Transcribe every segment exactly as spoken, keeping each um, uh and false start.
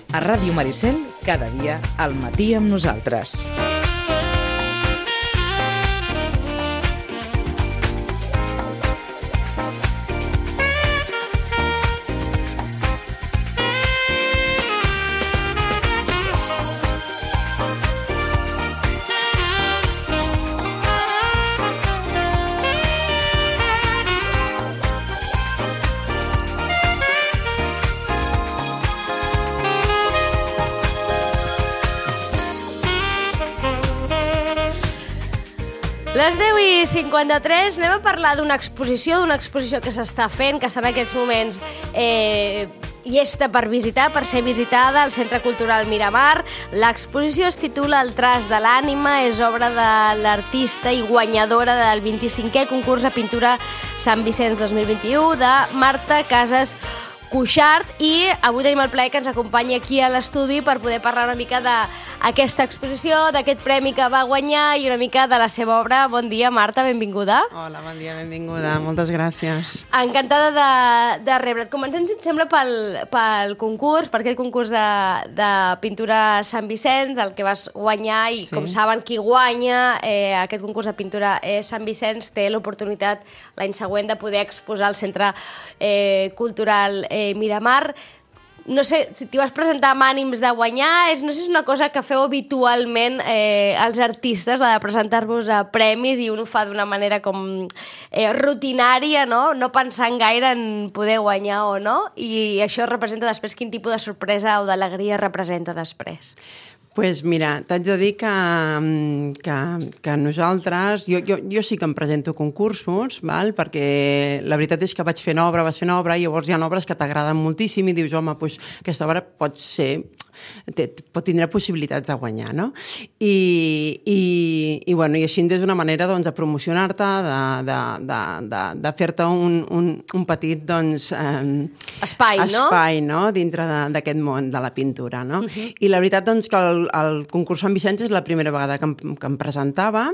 A Ràdio Maricel, cada dia al matí amb nosaltres. Les deu i cinquanta-tres, anem a parlar d'una exposició, d'una exposició que s'està fent, que està en aquests moments eh, llesta per visitar, per ser visitada al Centre Cultural Miramar. L'exposició es titula El traç de l'ànima, és obra de l'artista i guanyadora del vint-i-cinquè concurs de pintura Sant Vicenç dos mil vint-i-u de Marta Casas Cuixart, i avui tenim el plaer que ens acompanyi aquí a l'estudi per poder parlar una mica d'aquesta exposició, d'aquest premi que va guanyar i una mica de la seva obra. Bon dia, Marta, benvinguda. Hola, bon dia, benvinguda, moltes gràcies. Encantada de, de rebre't. Comencem, si et sembla, pel, pel concurs, per aquest concurs de, de pintura Sant Vicenç, el que vas guanyar, i sí, com saben, qui guanya eh, aquest concurs de pintura eh, Sant Vicenç té l'oportunitat l'any següent de poder exposar al Centre eh, Cultural eh, Miramar. No sé, si t'hi vas presentar amb ànims de guanyar, és, no sé si és una cosa que feu habitualment eh, els artistes, la de presentar-vos a premis, i un ho fa d'una manera com eh, rutinària, no? No pensant gaire en poder guanyar o no, i això representa després quin tipus de sorpresa o d'alegria representa després. Pues mira, t'haig de dir que, que, que nosaltres... Jo, jo, jo sí que em presento concursos, val? Perquè la veritat és que vaig fent obra, vas fent obra, i llavors hi ha obres que t'agraden moltíssim i dius, home, pues, aquesta obra pot ser... pot tindre possibilitats de guanyar, no? I, i, i, bueno, i així és una manera, doncs, de promocionar-te, de, de, de, de, de fer-te un, un, un petit, doncs... Eh, espai, no? Espai, no? Dintre d'aquest món de la pintura, no? Uh-huh. I la veritat, doncs, que el, el concurs Sant Vicenç és la primera vegada que em, que em presentava.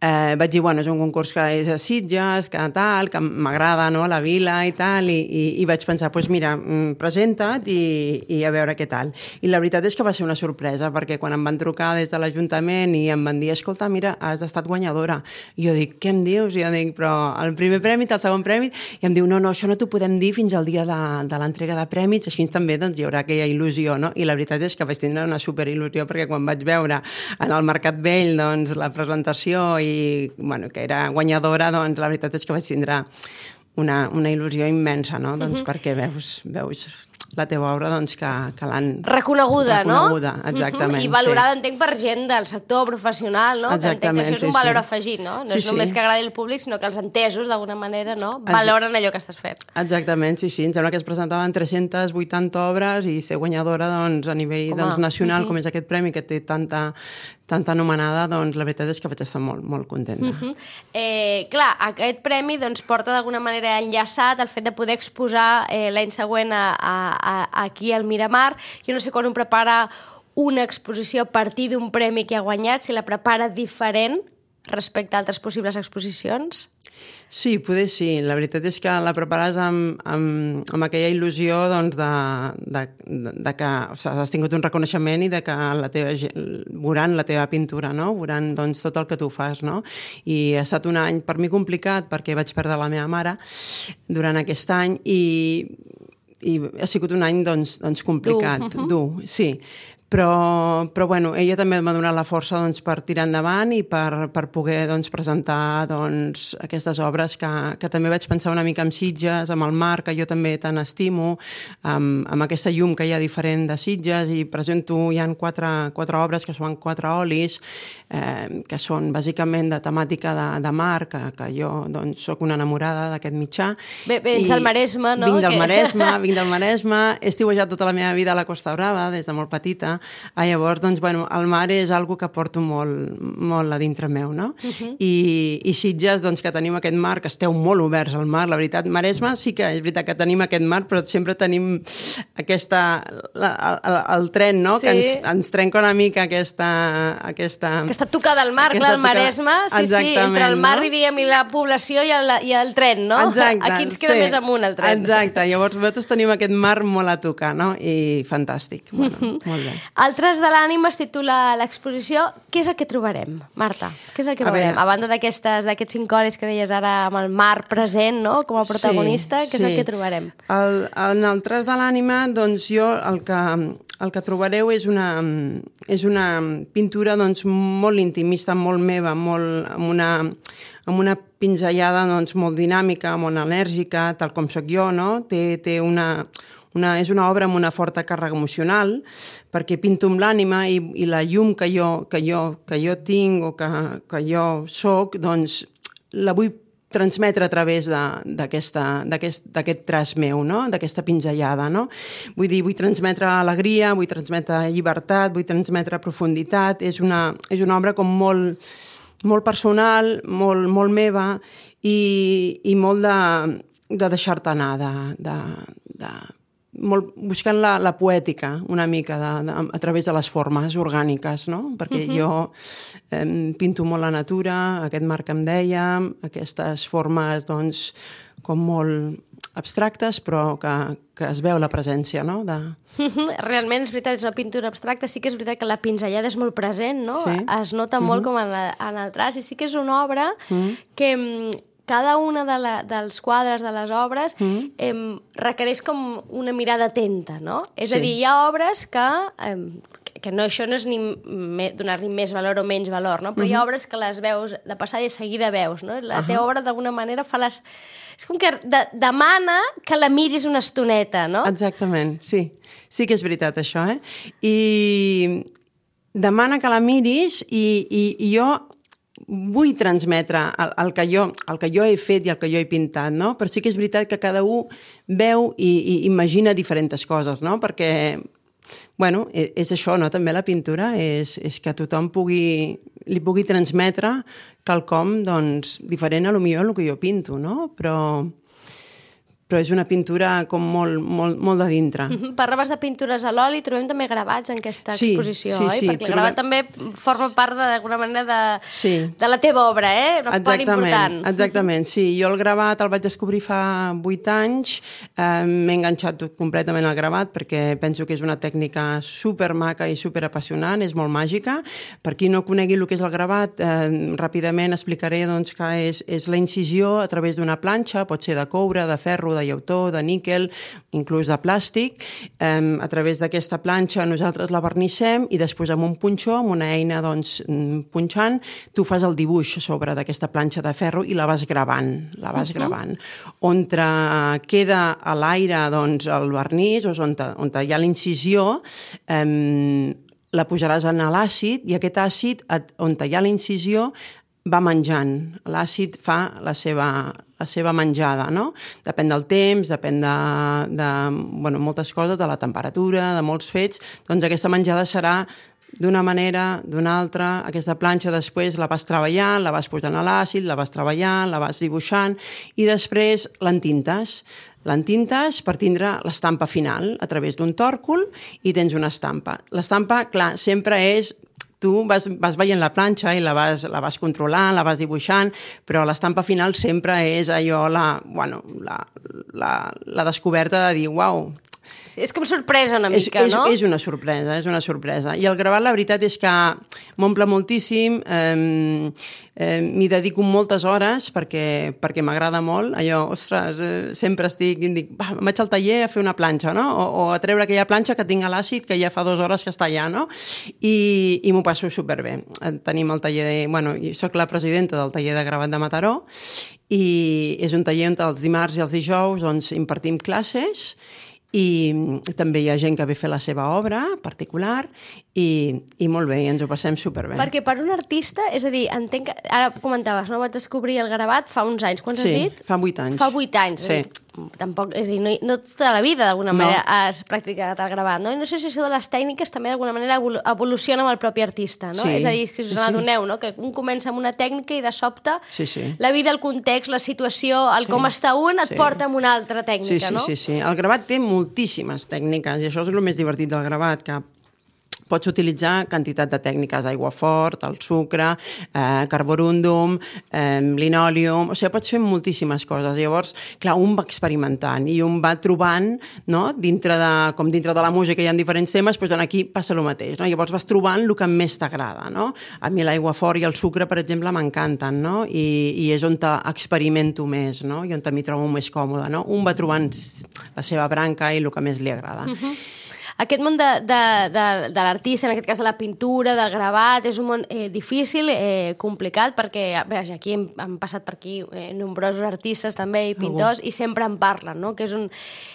Eh, vaig dir, bueno, és un concurs que és a Sitges, que tal, que m'agrada, no?, la vila i tal, i, i, i vaig pensar, doncs pues mira, presenta't i, i a veure què tal. I la veritat és que va ser una sorpresa, perquè quan em van trucar des de l'Ajuntament i em van dir, escolta, mira, has estat guanyadora. I jo dic, què em dius? I jo dic, però el primer premi, el segon premi, i em diu, no, no, això no t'ho podem dir fins al dia de, de l'entrega de prèmits, així també doncs, hi haurà aquella il·lusió, no? I la veritat és que vaig tindre una superil·lusió, perquè quan vaig veure en el Mercat Vell, doncs, la presentació i, bueno, que era guanyadora, doncs, la veritat és que vaig tindre una, una il·lusió immensa, no? Doncs uh-huh. perquè veus, veus la teva obra, doncs, que, que l'han... Reconeguda, no? Reconeguda, exactament. Uh-huh. I valorada, sí. entenc, per gent del sector professional, no? Exactament, entenc que això és un sí, valor sí. afegit, no? No sí, és només sí. que agradi el públic, sinó que els entesos, d'alguna manera, no? Valoren allò que estàs fent. Exactament, sí, sí. Em sembla que es presentaven tres-centes vuitanta obres i ser guanyadora, doncs, a nivell doncs, nacional, uh-huh. com és aquest premi, que té tanta, tanta anomenada, doncs, la veritat és que vaig estar molt, molt contenta. Uh-huh. Eh, clar, aquest premi, doncs, porta d'alguna manera enllaçat el fet de poder exposar eh, l'any següent a, a, a, aquí al Miramar. Jo no sé quan un prepara una exposició a partir d'un premi que ha guanyat, si la prepara diferent respecte a altres possibles exposicions. Sí, poder sí. La veritat és que la prepares amb, amb, amb aquella il·lusió, doncs, de, de, de que o sigui, has tingut un reconeixement i de que la teva, veuran la teva pintura, no? Veuran, doncs, tot el que tu fas, no? I ha estat un any per mi complicat perquè vaig perdre la meva mare durant aquest any i i ha sigut un any, doncs, doncs complicat, dur, uh-huh. dur, sí. Però, però bueno, ella també m'ha donat la força, doncs, per tirar endavant i per, per poder, doncs, presentar, doncs, aquestes obres que, que també vaig pensar una mica amb Sitges, amb el mar, que jo també tant estimo, amb, amb aquesta llum que hi ha diferent de Sitges, i presento, hi ha quatre, quatre obres que són quatre olis, eh, que són bàsicament de temàtica de, de mar, que, que jo, doncs, soc una enamorada d'aquest mitjà. Bé, vens del Maresme, no? Vinc del que... Maresme, vinc del Maresme, he estiuejat tota la meva vida a la Costa Brava, des de molt petita, Ah, llavors, doncs, bueno, el mar és algo que porto molt, molt a dintre meu, no? Uh-huh. I, I Sitges, doncs, que tenim aquest mar, que esteu molt oberts al mar, la veritat. Maresme sí que és veritat que tenim aquest mar, però sempre tenim aquesta... La, el, el tren, no? Sí. Que ens, ens trenca una mica aquesta... Aquesta, aquesta tocada al mar, clar, el Maresme, sí, sí, entre el mar, no? I, diguem, i la població i el, i el tren, no? Exacte. Aquí ens queda sí. més amunt el tren. Exacte, llavors nosaltres tenim aquest mar molt a tocar, no? I fantàstic, bueno, molt bé. Altres de l'ànima es titula l'exposició. Què és el que trobarem, Marta? Què és el que a veurem? Veure. A banda d'aquests cincolis que deies ara amb el mar present, no? Com a protagonista, sí, què és sí. el que trobarem? El, en el tras de l'ànima, doncs jo el que, el que trobareu és una, és una pintura doncs, molt intimista, molt meva, molt, amb, una, amb una pinzellada doncs, molt dinàmica, molt enèrgica, tal com sóc jo, no? Té, té una, una, és una obra amb una forta càrrega emocional, perquè pinto amb l'ànima i, i la llum que jo, que jo, que jo tinc o que, que jo soc, doncs la vull transmetre a través d'aquest traç meu, no? D'aquesta pinzellada. No? Vull dir, vull transmetre alegria, vull transmetre llibertat, vull transmetre profunditat. És una, és una obra com molt, molt personal, molt, molt meva i, i molt de, de deixar-te anar, de, de, de, molt, buscant la, la poètica una mica de, de, a través de les formes orgàniques, no? Perquè uh-huh. jo eh, pinto molt la natura, aquest mar que em deia, aquestes formes doncs, com molt abstractes, però que, que es veu la presència, no? De... Realment, és veritat, és una pintura abstracta, sí que és veritat que la pinzellada és molt present, no? Sí. Es nota uh-huh. molt com en, la, en el traç, i sí que és una obra uh-huh. que... cada una de la, dels quadres de les obres mm. eh, requereix com una mirada atenta, no? És sí. a dir, hi ha obres que, eh, que no, això no és ni donar-li més valor o menys valor, no? Però mm-hmm. hi ha obres que les veus de passada i de seguida veus, no? La uh-huh. teva obra d'alguna manera fa les... És com que de, demana que la miris una estoneta, no? Exactament, sí. Sí que és veritat, això, eh? I demana que la miris i, i, i jo vull transmetre el, el, que jo, el que jo he fet i el que jo he pintat, no? Però sí que és veritat que cada un veu i, i imagina diferents coses, no? Perquè, bueno, és, és això, no? També la pintura és, és que tothom pugui, li pugui transmetre quelcom, doncs, diferent a lo millor el que jo pinto, no? Però... però és una pintura com molt, molt, molt de dintre. Mm-hmm. Parlaves de pintures a l'oli, trobem també gravats en aquesta sí, exposició, sí, oi? Sí, perquè el gravat també forma part d'alguna manera de, sí. de la teva obra, eh? Una part important. Exactament, sí. Jo el gravat el vaig descobrir fa vuit anys, eh, m'he enganxat completament al gravat perquè penso que és una tècnica supermaca i superapassionant, és molt màgica. Per qui no conegui el que és el gravat, eh, ràpidament explicaré doncs, que és, és la incisió a través d'una planxa, pot ser de coure, de ferro, de llautó, de níquel, inclús de plàstic. Eh, a través d'aquesta planxa nosaltres la vernissem i després amb un punxó, amb una eina doncs, punxant, tu fas el dibuix sobre d'aquesta planxa de ferro i la vas gravant, la vas uh-huh. gravant. On queda a l'aire doncs, el vernís, o on, on hi ha l'incisió, eh, la posaràs en l'àcid i aquest àcid, on hi ha la incisió, va menjant. L'àcid fa la seva, la seva menjada, no? Depèn del temps, depèn de, de bueno, moltes coses, de la temperatura, de molts fets. Doncs aquesta menjada serà d'una manera, d'una altra. Aquesta planxa després la vas treballant, la vas posant a l'àcid, la vas treballant, la vas dibuixant i després l'entintes. L'entintes per tindre l'estampa final a través d'un tòrcul i tens una estampa. L'estampa, clar, sempre és... Tu vas, vas veient la planxa i la vas, la vas controlant, la vas dibuixant, però l'estampa final sempre és allò, la, bueno, la, la, la descoberta de dir, uau... Sí, és com sorpresa una mica, és, és, no? És una sorpresa, és una sorpresa. I el gravat, la veritat és que m'omple moltíssim, eh, eh, m'hi dedico moltes hores perquè, perquè m'agrada molt. Allò, ostres, eh, sempre estic, dic, va, vaig al taller a fer una planxa, no? O, o a treure aquella planxa que tinc a l'àcid, que ja fa dues hores que està allà, no? I, i m'ho passo superbé. Tenim el taller de... Bueno, jo soc la presidenta del taller de gravat de Mataró i és un taller on els dimarts i els dijous doncs, impartim classes i també hi ha gent que ve a fer la seva obra particular i, i molt bé, i ens ho passem superbé. Perquè per un artista, és a dir, entenc que... Ara comentaves, no? Vaig descobrir el gravat fa uns anys. Quants sí, has dit? fa vuit anys. Fa vuit anys. Sí. tampoc, és a dir, no, no tota la vida d'alguna manera no. has practicat el gravat, no? I no sé si això de les tècniques també d'alguna manera evoluciona amb el propi artista, no? Sí, és a dir, si us sí, n'adoneu, no? Que un comença amb una tècnica i de sobte sí, sí. la vida, el context, la situació, el sí, com està un, et sí. porta amb una altra tècnica, sí, sí, no? Sí, sí, sí. El gravat té moltíssimes tècniques i això és el més divertit del gravat, que pots utilitzar quantitat de tècniques, aigua fort, el sucre, eh, carborúndum, eh, linòleum, o sigui, pots fer moltíssimes coses. Llavors, clar, un va experimentant i un va trobant, no?, dintre de, com dintre de la música hi ha diferents temes, doncs aquí passa el mateix, no? Llavors vas trobant el que més t'agrada, no? A mi l'aigua fort i el sucre, per exemple, m'encanten, no? I, i és on experimento més, no? I on m'hi trobo més còmode, no? Un va trobant la seva branca i el que més li agrada. Uh-huh. Aquest món de, de, de, de l'artista, en aquest cas de la pintura, del gravat, és un món eh, difícil, eh, complicat, perquè bé, aquí hem, han passat per aquí eh, nombrosos artistes també i pintors, oh. i sempre en parlen, no? Que és un...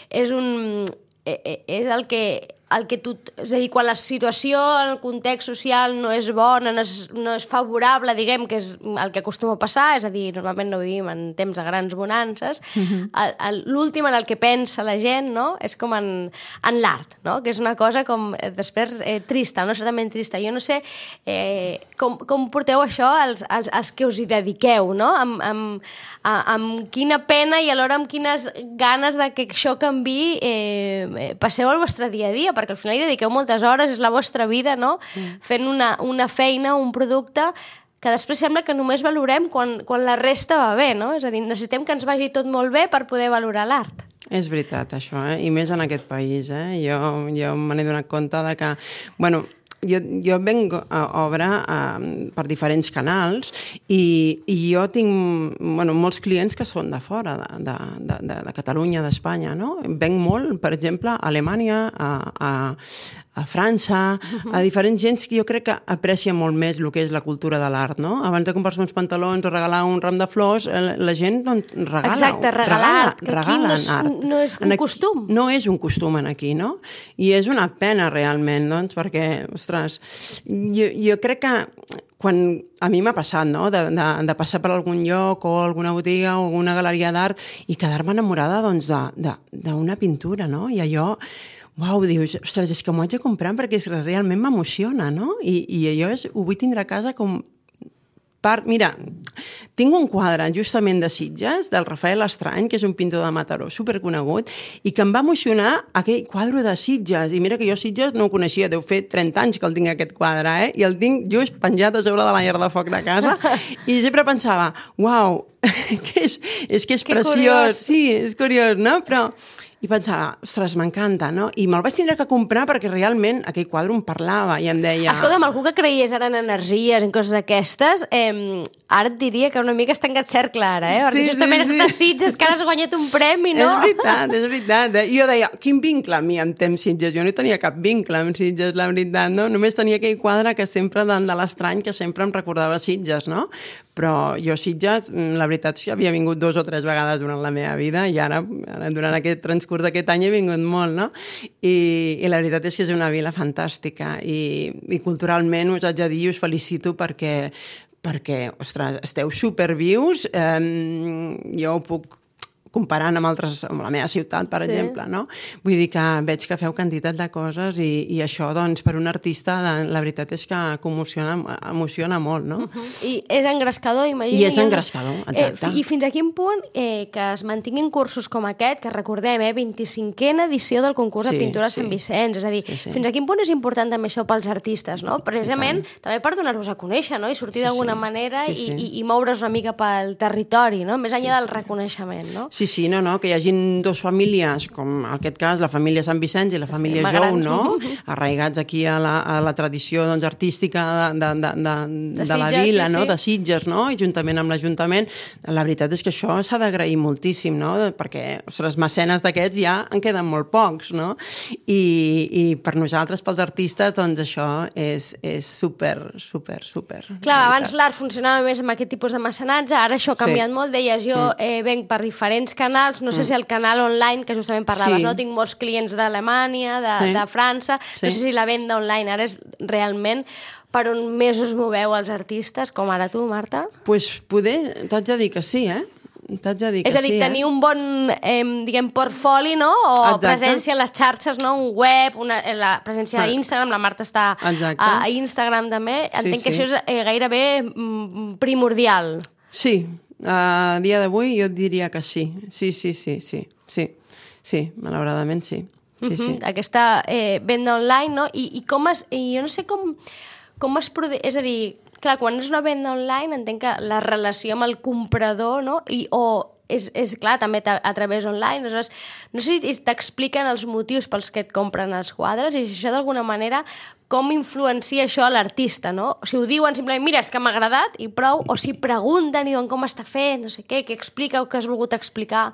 És, un, eh, és el que... el que tu, és a dir, quan la situació, el context social no és bona, no és, no és favorable, diguem, que és el que acostuma a passar, és a dir, normalment no vivim en temps de grans bonances, uh-huh. l'últim en el que pensa la gent, no?, és com en, en l'art, no?, que és una cosa com, després, eh, trista, no?, certament trista. Jo no sé eh, com, com porteu això als, als, als que us hi dediqueu, no?, amb, amb, amb quina pena i alhora amb quines ganes de que això canviï eh, passeu el vostre dia a dia, perquè al final hi dediqueu moltes hores, és la vostra vida, no?, mm. fent una, una feina, un producte que després sembla que només valorem quan, quan la resta va bé, no? És a dir, necessitem que ens vagi tot molt bé per poder valorar l'art. És veritat, això, eh? I més en aquest país, eh? Jo, jo me n'he donat compte de que, bueno, jo, jo venc a obra uh, per diferents canals i, i jo tinc, bueno, molts clients que són de fora, de, de, de, de Catalunya, d'Espanya, no? Venc molt, per exemple, a Alemanya, a, a, a França, a diferents gens que jo crec que aprecia molt més el que és la cultura de l'art, no? Abans de comprar-se uns pantalons o regalar un ram de flors, la gent doncs, regala. Exacte, regalar regala, art, que aquí no és, art. no és un costum. No és un costum aquí, no? I és una pena realment, doncs, perquè, ostres, jo, jo crec que quan a mi m'ha passat, no?, de, de, de passar per algun lloc o alguna botiga o alguna galeria d'art i quedar-me enamorada, doncs, d'una pintura, no? I allò, uau, dius, ostres, és que m'ho haig de comprar perquè realment m'emociona, no? I, i allò és, ho vull tindre a casa com part... Mira, tinc un quadre justament de Sitges, del Rafael Estrany, que és un pintor de Mataró superconegut, i que em va emocionar aquell quadre de Sitges. I mira que jo Sitges no ho coneixia, deu fer trenta anys que el tinc aquest quadre, eh? I el tinc just penjat a sobre de la llar de foc de casa, i sempre pensava, uau, que és, és que és que preciós. Curiós. Sí, és curiós, no? Però... I pensava, ostres, m'encanta, no? I me'l vaig tindre que comprar perquè realment aquell quadre em parlava i em deia... Escolta'm, algú que creies ara en energies, en coses d'aquestes, eh, ara et diria que una mica està en aquest cercle ara, eh? Perquè sí, justament sí, has estat sí. a Sitges, que ara has guanyat un premi, no? És veritat, és veritat. I jo deia, quin vincle a mi amb temps Sitges? Jo no tenia cap vincle amb Sitges, la veritat, no? Només tenia aquell quadre que sempre, de l'Estrany, que sempre em recordava Sitges, no? Però jo Sitges, la veritat és que havia vingut dos o tres vegades durant la meva vida i ara, ara durant aquest transcurs d'aquest any he vingut molt, no? I, i la veritat és que és una vila fantàstica i, i culturalment us haig de dir i us felicito perquè, perquè ostres, esteu supervius, eh, jo ho puc comparant amb altres, amb la meva ciutat, per sí. exemple, no? Vull dir que veig que feu quantitat de coses i, i això, doncs, per un artista, la veritat és que emociona, emociona molt, no? Uh-huh. I és engrescador, imagino. I és engrescador, exacte. Eh, I fins a quin punt eh, que es mantinguin cursos com aquest, que recordem, eh, vint-i-cinquena edició del concurs sí, de pintura sí. Sant Vicenç, és a dir, sí, sí. fins a quin punt és important també això pels artistes, no? Precisament, també per donar-vos a conèixer, no? I sortir sí, d'alguna sí. manera sí, sí. I, i moure's una mica pel territori, no? Més enllà sí, del sí. reconeixement, no? Sí, sí, no, no, que hi hagin dues famílies, com en aquest cas la família Sant Vicenç i la família sí, Jou, no? Arraigats aquí a la, a la tradició doncs, artística de, de, de, de, de, de la vila, sí, no? Sí. De Sitges, no? I juntament amb l'Ajuntament. La veritat és que això s'ha d'agrair moltíssim, no? Perquè, ostres, mecenes d'aquests ja en queden molt pocs, no? I, i per nosaltres, pels artistes, doncs això és, és super, super, super. Clar, abans l'art funcionava més amb aquest tipus de mecenatge, ara això ha canviat sí. molt. Deies, jo mm. eh, venc per diferents canals, no sé si el canal online, que justament parlaves, sí. no? Tinc molts clients d'Alemanya, de, sí. de França, sí. no sé si la venda online ara és realment per on més us moveu els artistes, com ara tu, Marta? Doncs pues poder, t'haig de dir que sí, eh? t'haig de dir que És a dir, sí, tenir eh? un bon, eh, diguem, portfoli, no? O Exacte. presència a les xarxes, no? Un web, una, la presència a Instagram, la Marta està a, a Instagram també. Entenc Sí, que sí. això és eh, gairebé mm, primordial. Sí, a dia d'avui jo et diria que sí. Sí, sí, sí, sí, sí, sí, malauradament sí. Sí, sí. Uh-huh. Aquesta eh, venda online, no? I, i com es... I jo no sé com, com es produeix... És a dir, clar, quan és una venda online entenc que la relació amb el comprador, no? I, o és, és clar, també a, a través online. Aleshores, no sé si t'expliquen els motius pels que et compren els quadres i si això d'alguna manera com influencia això a l'artista, no? Si ho diuen simplement, mira, és que m'ha agradat i prou, o si pregunten i diuen com està fet, no sé què, què explica o què has volgut explicar.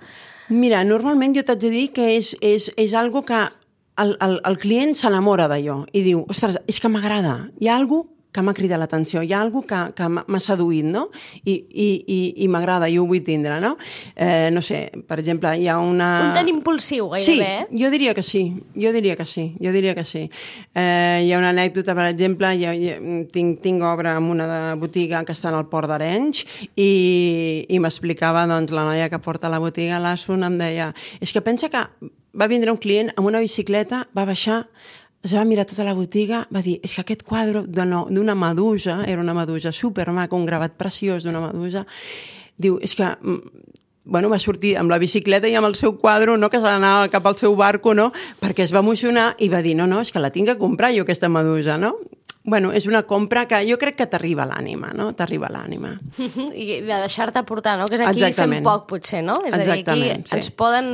Mira, normalment jo t'haig de dir que és, és, és algo que el, el, el client s'enamora d'allò i diu, ostres, és que m'agrada, hi ha alguna que m'ha cridat l'atenció, hi ha alguna que, que m'ha seduït, no? I, i, i, i m'agrada, jo ho vull tindre, no? Eh, no sé, per exemple, hi ha una... Un tan impulsiu, gairebé, sí, eh? jo diria que sí, jo diria que sí, jo diria que sí. Eh, hi ha una anècdota, per exemple, jo, jo, tinc, tinc obra en una de botiga que està en el Port d'Arenys i, i m'explicava, doncs, la noia que porta la botiga, l'Asun, em deia, és que pensa que va vindre un client amb una bicicleta, va baixar, es va mirar tota la botiga, va dir, és que aquest quadre d'una medusa, era una medusa supermaca, un gravat preciós d'una medusa, diu, és que, bueno, va sortir amb la bicicleta i amb el seu quadre, no, que s'anava cap al seu barco, no, perquè es va emocionar i va dir, no, no, és que la tinc que comprar jo, aquesta medusa, no? Bueno, és una compra que jo crec que t'arriba a l'ànima, no? T'arriba a l'ànima. I de deixar-te portar, no? Que és aquí Exactament. fem poc, potser, no? És Exactament, a dir, aquí sí. ens poden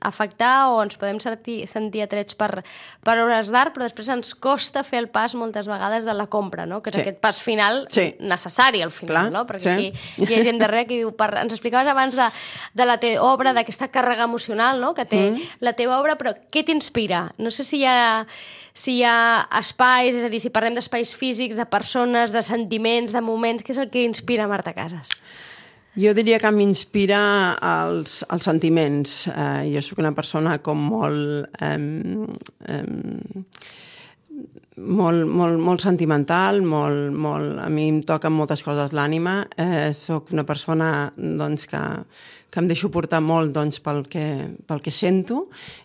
afectar o ens podem sentir, sentir atrets per, per obres d'art, però després ens costa fer el pas moltes vegades de la compra, no? Que és Sí. aquest pas final Sí. necessari al final, Clar, no? Perquè sí. aquí hi ha gent darrere que diu... Per... Ens explicaves abans de, de la teva obra, d'aquesta càrrega emocional, no? Que té mm. la teva obra, però què t'inspira? No sé si hi ha... si hi ha espais, és a dir, si parlem d'espais físics, de persones, de sentiments, de moments, què és el que inspira Marta Casas? Jo diria que m'inspira els, els sentiments. Eh, jo sóc una persona com molt... Eh, eh, molt, molt, molt sentimental, molt, molt, a mi em toquen moltes coses l'ànima. Eh, soc una persona doncs, que, que em deixo portar molt doncs, pel, que, pel que sento.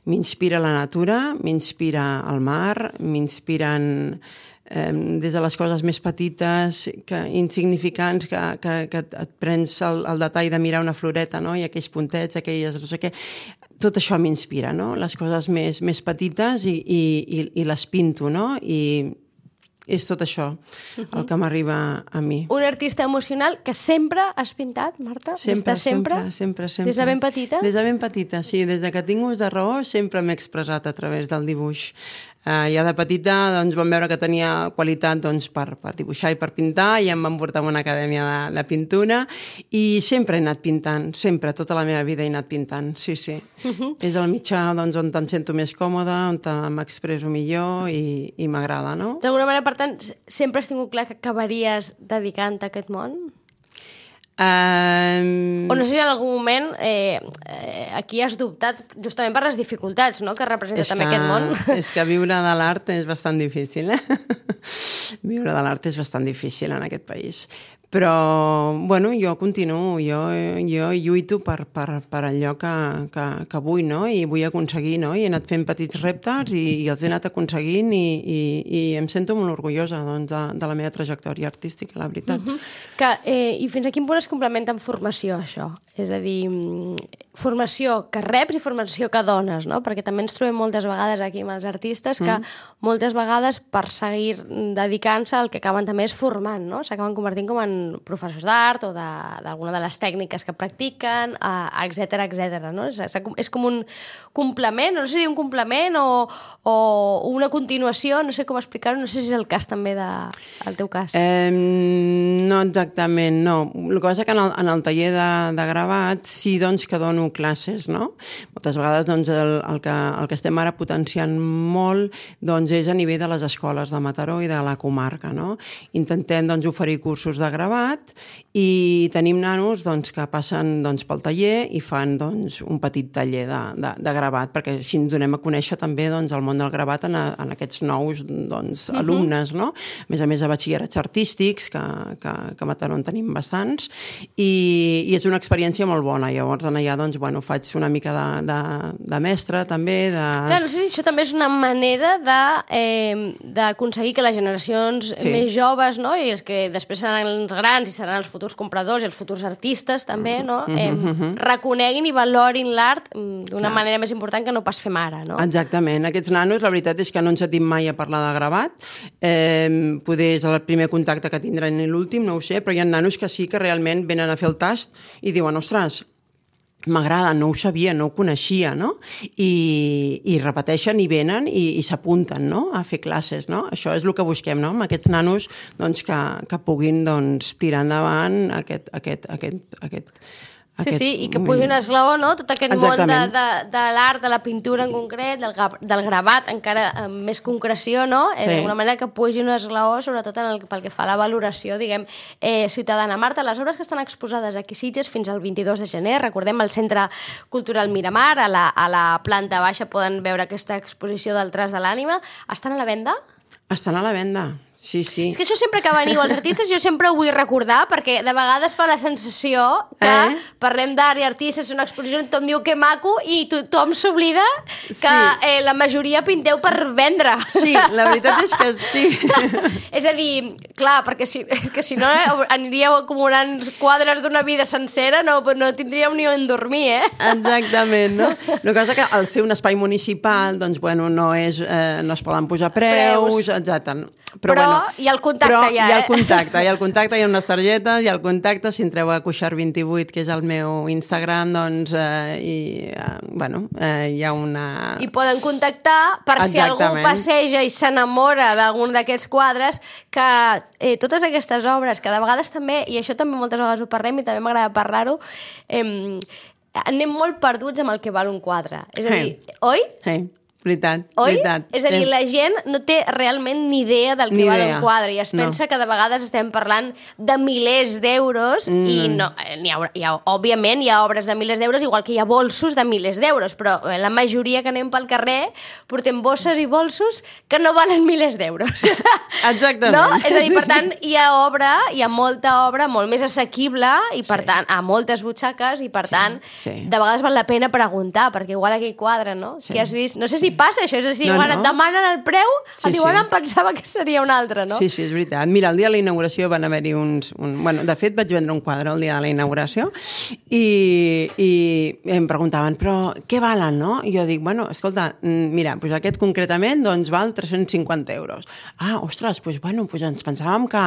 M'inspira la natura, m'inspira el mar, m'inspiren eh, des de les coses més petites, que, insignificants, que, que, que et prens el, el detall de mirar una floreta, no? I aquells puntets, aquelles no sé què. Tot això m'inspira, no? Les coses més, més petites i, i, i, i les pinto, no? I és tot això el que m'arriba a mi. Un artista emocional que sempre has pintat, Marta? Sempre, sempre, sempre, sempre, sempre. Des de ben petita? Des de ben petita, sí. Des de que tinc ús de raó sempre m'he expressat a través del dibuix. Uh, ja de petita doncs, vam veure que tenia qualitat doncs, per, per dibuixar i per pintar i em van portar a una acadèmia de, de pintura i sempre he anat pintant, sempre, tota la meva vida he anat pintant, sí, sí. Uh -huh. És el mitjà doncs, on em sento més còmoda, on m'expresso millor i, i m'agrada, no? D'alguna manera, per tant, sempre has tingut clar que acabaries dedicant-te a aquest món? Um... O no sé si en algun moment eh, eh, aquí has dubtat justament per les dificultats, no?, que representa també que, aquest món. És que viure de l'art és bastant difícil, eh? Viure de l'art és bastant difícil en aquest país. Però, bueno, jo continuo, jo, jo lluito per, per, per allò que, que, que vull, no? I vull aconseguir, no? I he anat fent petits reptes i, i els he anat aconseguint i, i, i em sento molt orgullosa doncs, de, de la meva trajectòria artística, la veritat. Uh-huh. que, eh, I fins a quin punt es complementa amb formació, això? És a dir, formació que reps i formació que dones, no? Perquè també ens trobem moltes vegades aquí amb els artistes que mm. moltes vegades per seguir dedicant-se el que acaben també és formant, no? S'acaben convertint com en professors d'art o d'alguna de, de les tècniques que practiquen, etcètera, etcètera, no? És, és com un complement, no sé si dir un complement o, o una continuació, no sé com explicar-ho, no sé si és el cas també de, el teu cas. Eh, no exactament, no. El que passa que en el, en el taller de, de gravat sí doncs, que dono classes, no? Moltes vegades doncs, el, el, que, el que estem ara potenciant molt doncs, és a nivell de les escoles de Mataró i de la comarca, no? Intentem, doncs, oferir cursos de gravat i tenim nanos, doncs, que passen, doncs, pel taller i fan, doncs, un petit taller de, de, de gravat, perquè així ens donem a conèixer també, doncs, el món del gravat en, a, en aquests nous, doncs, uh-huh. alumnes, no? A més a més, a batxillerats artístics, que, que, que a Mataró en tenim bastants, i, i és una experiència molt bona. Llavors, en allà, doncs, bueno, faig una mica de, de, de mestre, també, de... Clar, no sé si això també és una manera de, eh, d'aconseguir que les generacions sí. més joves, no?, i els que després seran els grans i seran els futurs compradors i els futurs artistes, també, no?, eh, uh-huh. reconeguin i valorin l'art d'una Clar. manera més important que no pas fem ara, no? Exactament. Aquests nanos, la veritat és que no ens sentim mai a parlar de gravat. Eh, poder és el primer contacte que tindran i l'últim, no ho sé, però hi ha nanos que sí que realment venen a fer el tast i diuen, ostres, m'agrada, no ho sabia, no ho coneixia, no? I, i repeteixen i venen i, i s'apunten, no?, a fer classes, no? Això és el que busquem, no?, amb aquests nanos, doncs, que, que puguin, doncs, tirar endavant aquest, aquest, aquest, aquest, Sí, aquest... sí, i que pugi un esglaó, no?, tot aquest Exactament. món de, de, de l'art, de la pintura en concret, del, del gravat, encara amb més concreció, no?, sí. eh, d'alguna manera que pugi un esglaó, sobretot en el, pel que fa a la valoració, diguem, eh, ciutadana. Marta, les obres que estan exposades aquí a Sitges fins al vint-i-dos de gener, recordem el Centre Cultural Miramar, a la, a la planta baixa poden veure aquesta exposició del Tras de l'Ànima, estan a la venda? Estan a la venda, sí, sí. És que això sempre que veniu els artistes jo sempre ho vull recordar, perquè de vegades fa la sensació que eh? parlem d'art i artistes, és una exposició, tothom diu que maco i tothom s'oblida que sí. eh, la majoria pinteu per vendre. Sí, la veritat és que sí. És a dir, clar, perquè si, és que si no eh, aniríeu acumulant quadres d'una vida sencera, no, no tindríem ni on dormir, eh? Exactament, no? El que passa que al ser un espai municipal, doncs, bueno, no, és, eh, no es poden pujar preus, preus. exacte. Però, però bueno, hi ha el contacte però ja, hi ha el eh? contacte, hi ha el contacte, hi ha unes targetes, hi ha el contacte, si entreu a Cuixart vint-i-vuit, que és el meu Instagram, doncs, eh, i, eh, bueno, eh, hi ha una... I poden contactar per Exactament. Si algú passeja i s'enamora d'algun d'aquests quadres, que eh, totes aquestes obres, que de vegades també, i això també moltes vegades ho parlem i també m'agrada parlar-ho, eh, anem molt perduts amb el que val un quadre. És a dir, hey. oi? Sí. Veritat, Oi? veritat. És a dir, la gent no té realment ni idea del que val un quadre i es no. pensa que de vegades estem parlant de milers d'euros mm. i no, hi ha, hi ha, òbviament hi ha obres de milers d'euros igual que hi ha bolsos de milers d'euros, però la majoria que anem pel carrer portem bosses i bolsos que no valen milers d'euros. Exactament. No? És a dir, per tant, hi ha obra, hi ha molta obra molt més assequible i per sí. tant, a moltes butxaques i per sí. tant, sí. de vegades val la pena preguntar, perquè igual aquell quadre, no? Sí. Si has vist, no sé si passa això, és a dir, no, quan no. et demanen el preu, sí, et diuen, sí. em pensava que seria un altre, no? Sí, sí, és veritat. Mira, el dia de la inauguració van haver-hi uns... Un... Bueno, de fet, vaig vendre un quadre el dia de la inauguració i, i em preguntaven, però què valen, no? I jo dic, bueno, escolta, mira, doncs aquest concretament doncs val tres-cents cinquanta euros. Ah, ostres, doncs, bueno, doncs ens pensàvem que,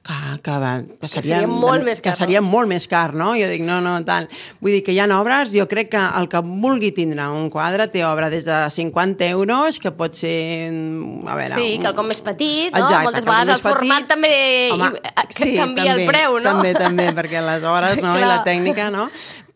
que, que, que, seria, que seria molt més car, que seria no? molt més car, no? Jo dic, no, no, tal. Vull dir que hi ha obres, jo crec que el que vulgui tindre un quadre té obra des de cinquanta euros, que pot ser... A veure, sí, un... quelcom més petit, no? Exacte, moltes vegades el format petit. També Home, sí, canvia també, el preu, no? També, també, perquè les hores no? i la tècnica, no?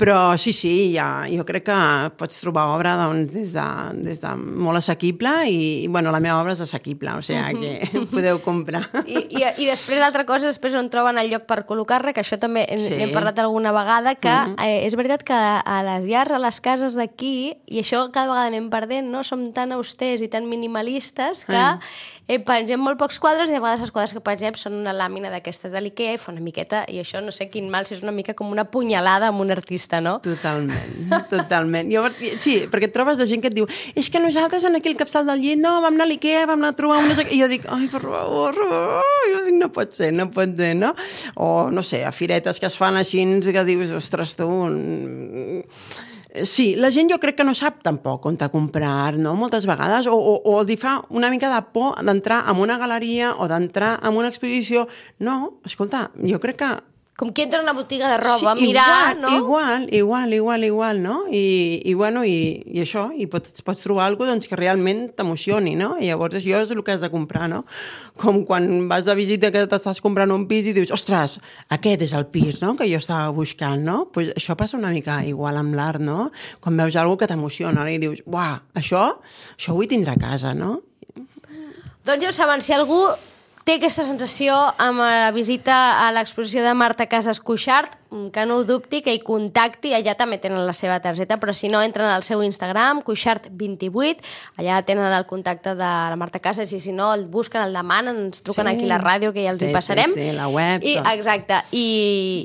Però sí, sí, ja, jo crec que pots trobar obra doncs, des, de, des de molt assequible i, bueno, la meva obra és assequible, o sigui uh-huh. que podeu comprar. I, i, i després l'altra cosa, després on troben el lloc per col·locar-la, que això també sí. n'hem parlat alguna vegada, que uh-huh. eh, és veritat que a les llars, a les cases d'aquí, i això cada vegada anem perdent, no? Som tan austers i tan minimalistes que uh-huh. eh, pengem molt pocs quadres i a vegades els quadres que pengem són una làmina d'aquestes de l'Ikea i fa una miqueta, i això no sé quin mal, si és una mica com una punyalada amb un artista, no? Totalment, totalment. Jo, sí, perquè et trobes de gent que et diu és que nosaltres en aquí al capçal del llit, no, vam anar a l'Ikea, vam anar a trobar unes... I jo dic, ai, per favor, jo dic, no pot ser, no pot ser, no? O, no sé, a firetes que es fan així, que dius, ostres, tu... Sí, la gent jo crec que no sap tampoc on comprar, no?, moltes vegades, o, o, o els hi fa una mica de por d'entrar en una galeria o d'entrar en una exposició. No, escolta, jo crec que com qui entra a una botiga de roba, sí, mirar, igual, no? Igual, igual, igual, igual, no? I, i bueno, i, i això, i pots, pots trobar alguna cosa doncs, que realment t'emocioni, no? I llavors això és el que has de comprar, no? Com quan vas de visita que t'estàs comprant un pis i dius, ostres, aquest és el pis, no?, que jo estava buscant, no? Pues això passa una mica igual amb l'art, no? Quan veus alguna que t'emociona i dius, uah, això, això ho vull tindre a casa, no? Doncs ja ho saben, si algú té aquesta sensació amb la visita a l'exposició de Marta Casas Cuixart, que no ho dubti, que hi contacti, allà també tenen la seva targeta, però si no, entren al seu Instagram, cuixart vint-i-vuit, allà tenen el contacte de la Marta Casas, i si no, el busquen, el demanen, ens truquen sí. aquí a la ràdio, que ja els sí, hi passarem. Sí, sí, la web. I, exacte, i,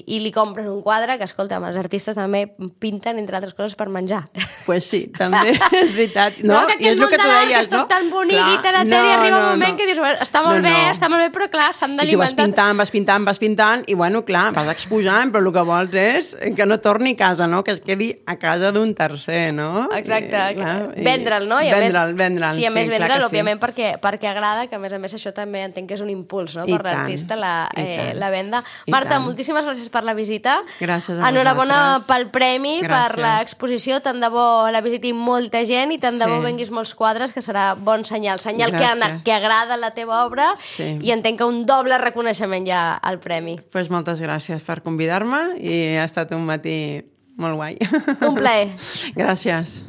i li compren un quadre, que escolta, els artistes també pinten, entre altres coses, per menjar. Pues sí, també, és veritat. No, no que I és el que tu deies, que és tot no? tan bonic clar, i tan eteri, no, arriba no, un moment no. que dius, està molt no, bé, no. està molt bé, però clar, s'han I tu vas d'alimentar. pintant, vas pintant, vas pintant, i bueno, clar, vas exposant, però el que vols és que no torni a casa, no? Que es quedi a casa d'un tercer, no? Exacte, I, clar, vendre'l, no? I a vendre'l, més, vendre'l, sí, a més sí, vendre'l, sí. òbviament, perquè, perquè agrada, que a més a més això també entenc que és un impuls, no? I Per l'artista, la, eh, la venda. I Marta, tant. moltíssimes gràcies per la visita. Gràcies a Enhorabona vosaltres. pel premi, Gràcies. per l'exposició, tant de bo la visiti molta gent i tant de bo Sí. venguis molts quadres, que serà bon senyal, senyal que, Gràcies. que agrada la teva obra, Sí. i entenc que un doble reconeixement ja al premi. Pues moltes gràcies per convidar-me i ha estat un matí molt guai. Un plaer. Gràcies.